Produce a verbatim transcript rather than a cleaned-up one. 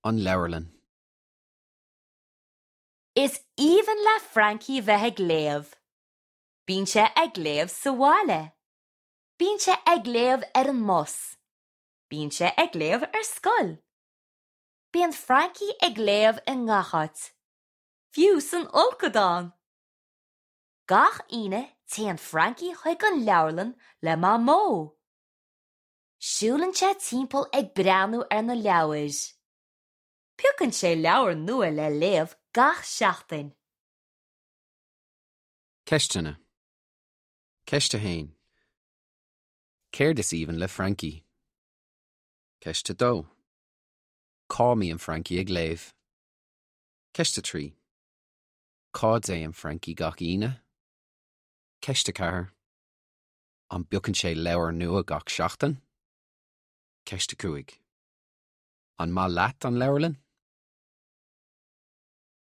An leabharlann. Is aoibhinn le Frankie bheith ag léamh. Bíonn sé ag léamh sa bhaile. Bíonn sé ag léamh ar an mbus. Bíonn sé ag léamh ar scoil. Bíonn Frankie ag léamh i ngach áit. Fiú san fholcadán. Gach Aoine téann Frankie chuig an leabharlann le Mamó. Siúlann sé timpeall ag breathnú ar na leabhair. Piocann sé leabhar nua le léamh gach seachtain. Ceisteanna. Ceist a haon. Céard is aoibhinn le Frankie? Ceist a dó. Cá mbíonn Frankie ag léamh. Ceist a trí. Cá dtéann Frankie gach Aoine? Ceist a ceathair. An bpiocann sé leabhar nua gach seachtain? Ceist a cúig. An maith leat an leabharlann?